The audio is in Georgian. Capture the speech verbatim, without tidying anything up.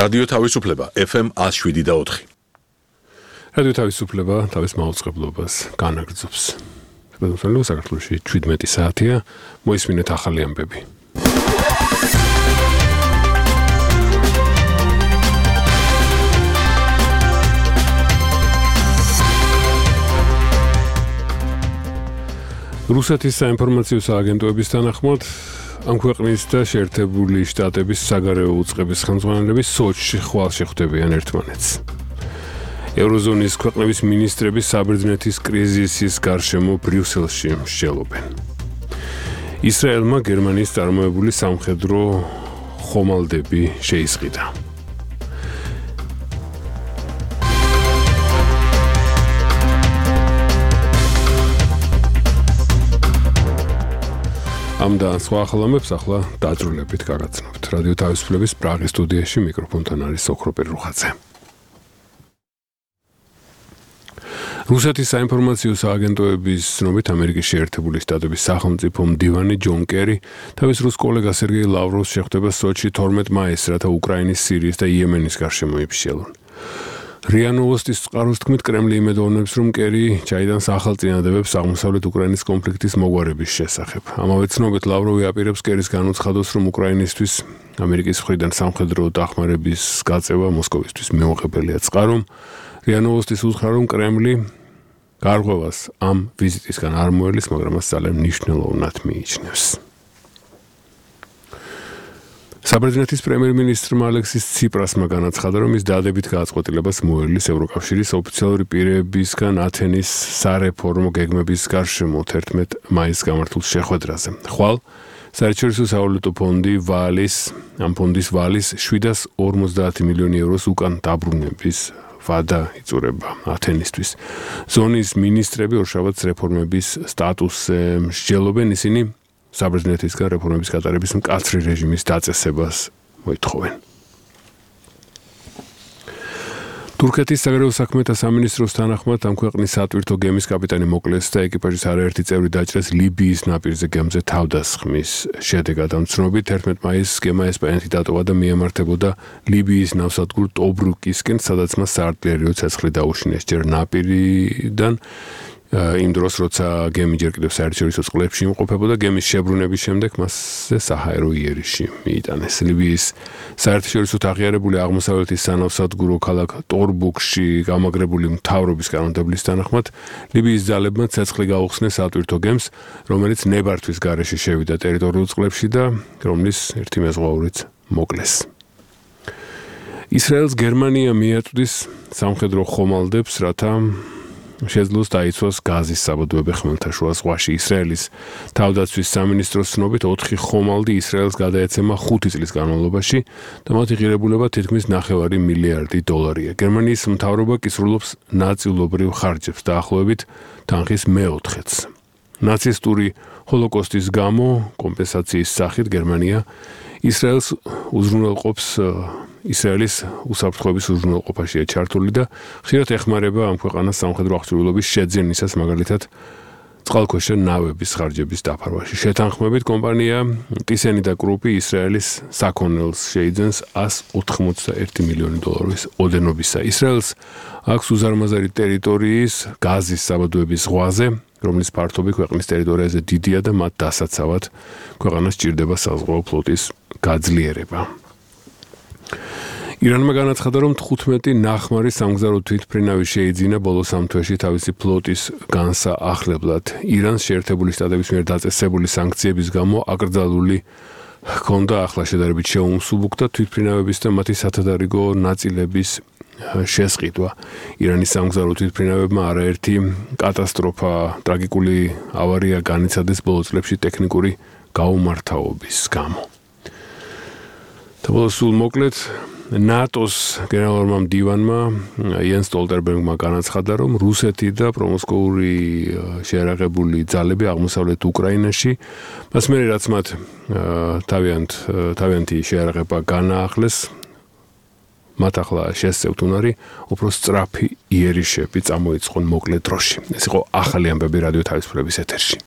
რადიო თავისუფლება ეფ ემ one oh seven და four. რადიო თავისუფლება თავის მაუწყებლობას განაგრძობს. Საქართველოს საქართველოში seventeen საათია, მოისმინეთ ახალი ამბები. რუსეთის საინფორმაციო სააგენტოების თანახმად ამ ქვეყნის და შეერთებული შტატების საგარეო უწყების ხელმძღვანელები სოჩში ხვალ შეხვდებიან ერთმანეთს. ევროზონის ქვეყნების მინისტრები საბერძნეთის კრიზისის გარშემო ბრიუსელში მსჯელობენ. ისრაელმა გერმანიის წარმოებული სამხედრო ხომალდები შეისყიდა. ამ და სხვა ახალამებს ახლა დაძრულებით გაგაცნობთ. რადიო თავისუფლების პრაღის სტუდიაში მიკროფონთან არის ოქროპერ რუხაძე. რუსეთის საინფორმაციო სააგენტოების ცნობით ამერიკის შეერთებული შტატების სახელმწიფო მდივანი ჯონ კერი თავის რუს კოლეგა სერგეი ლავროვს შეხვდება სოჩში თორმეტ მაისს, რათა უკრაინის, სირიის და იემენის გარშემო იფშიალონ. რია ნოვოსტის წყაროს თქმით, კრემლი იმედოვნებს, რომ კერი ჩაიდანს ახალ წინადადებებს აღმოსავლეთ უკრაინის კონფლიქტის მოგვარების შესახებ. ამავე ცნობით ლავროვი აპირებს კერის განუცხადოს, რომ უკრაინისთვის ამერიკის მხრიდან სამხედრო დახმარების გაწევა მოსკოვისთვის მეუღებელია. წყარომ რია ნოვოსტის უთხრა, რომ კრემლი გარღვევას ამ ვიზიტისგან არ მოელის, მაგრამ მას ძალიან მნიშვნელოვნად მიიჩნევს. საბერძნეთის პრემიერ-მინისტრმა ალექსის ციპრასმა განაცხადა, რომ ის დადებითი გადაწყვეტილებას მოელის ევროკავშირის ოფიციალური პირებისგან ათენის სარეფორმო გეგმების გარშემო თერთმეტ მაისს გამართულ შეხვედრაზე. ხვალ საერთაშორისო სავალუტო ფონდი ვალის, ამ ფონდის ვალის seven hundred forty მილიონი ევროს უკან დაბრუნების ვადა იწურება ათენისთვის. ზონის მინისტრები ორშაბათს რეფორმების სტატუსზე მსჯელობენ, ისინი საბერძნეთისგან რეფორმების გატარების მკაცრი რეჟიმის დაწესებას მოითხოვენ. თურქეთის საგარეო საქმეთა სამინისტროს თანახმად ამ ქვეყნის სატვირთო გემის კაპიტანი მოკლეს და ეკიპაჟის არაერთი წევრი დაჭრეს ლიბიის ნაპირზე გემზე თავდასხმის შედეგად. ამ ცნობით თერთმეტ მაისს გემა ესპანეთი დატოვა და მიემართებოდა ლიბიის ნავსადგურ ტობრუკისკენ, სადაც მას საარტილერიო ცეცხლი დაუშინეს. ჯერ ნაპირიდან იმ დროს, როცა გემი ჯერ კიდევ საერთაშორისო წყლებში იმყოფებოდა, გემის შებრუნების შემდეგ მასზე საჰაერო იერიში მიიტანეს. ლიბიის საერთაშორისო აღიარებული აღმოსავლეთის სანავსადგურო ქალაქ ტორბუკში გამაგრებული მთავრობის კანონმდებლის თანახმად, ლიბიის ძალებმა ცეცხლი გაუხსნეს სატვირთო გემს, რომელიც ნებართვის გარეშე შევიდა ტერიტორიულ წყლებში და რომლის ერთი მეზღვაურიც მოკლეს. ისრაელს გერმანია მიაწვდის სამხედრო ხომალდებს, რათა შეძლოს დაიცვას გაზის საბადოები ხმელთაშუა ზღვაში. ისრაელის თავდაცვის სამინისტროს ცნობით ოთხი ხომალდი ისრაელს გადაეცემა ხუთი წლის განმავლობაში და მათი ღირებულება თითქმის ნახევარი მილიარდი დოლარია. გერმანიის მთავრობა კი სრულობს ნაწილობრივ ხარჯებს დაახლოებით თანხის მეოთხედს. ნაცისტური ჰოლოკოსტის გამო კომპენსაციის სახით გერმანია ისრაელს უზრუნველყოფს ისრაელის უსაფრთხოების უზრუნველყოფაშია ჩართული და ხშირად ეხმარება ამ ქვეყანას სამხედრო აღჭურვილობის შეძენისას, მაგალითად წყალქვეშა ნავების ხარჯების დაფარვაში. შეთანხმებით კომპანია ტისენი და კრუპი ისრაელის საქონელს შეიძენს one hundred ninety-one მილიონი დოლარის ოდენობისა. ისრაელს აქვს უზარმაზარი ტერიტორიის გაზის საბადოების ზღვაზე, რომლის ფართობი ქვეყნის ტერიტორიაზე დიდია და მათ დასაცავად ქვეყანას სჭირდება საზღვაო ფლოტის გაძლიერება. ირანმა განაცხადა, რომ თხუთმეტი ნახმარი სამგზავრო თვითმფრინავი შეიძინა ბოლო სამ თვეში თავისი ფლოტის განსაახლებლად. ირანს შეერთებული შტატების მიერ დაწესებული სანქციების გამო აკრძალული ჰქონდა ახლა შედარებით შეუმსუბუქდა თვითმფრინავების და მათი სათადარიგო ნაწილების შესყიდვა. ირანის სამგზავრო თვითმფრინავებმა არაერთი კატასტროფა, ტრაგიკული ავარია განიცადეს ბოლო წლებში ტექნიკური გაუმართავობის გამო. და სულ მოკლედ ნატოს გენერალურმა მდივანმა იენს სტოლტენბერგმა განაცხადა, რომ რუსეთი და პრომოსკოვური შეიარაღებული ძალები აღმოსავლეთ უკრაინაში, მას მერე რაც მათ თავიანთ თავიანთი შეიარაღება განაახლეს, მათ ახლა შესწევთ უნარი უფრო სწრაფი იერიშები წამოიწყონ მოკლე დროში. ეს იყო ახალი ამბები რადიო თავისუფლების ეთერში.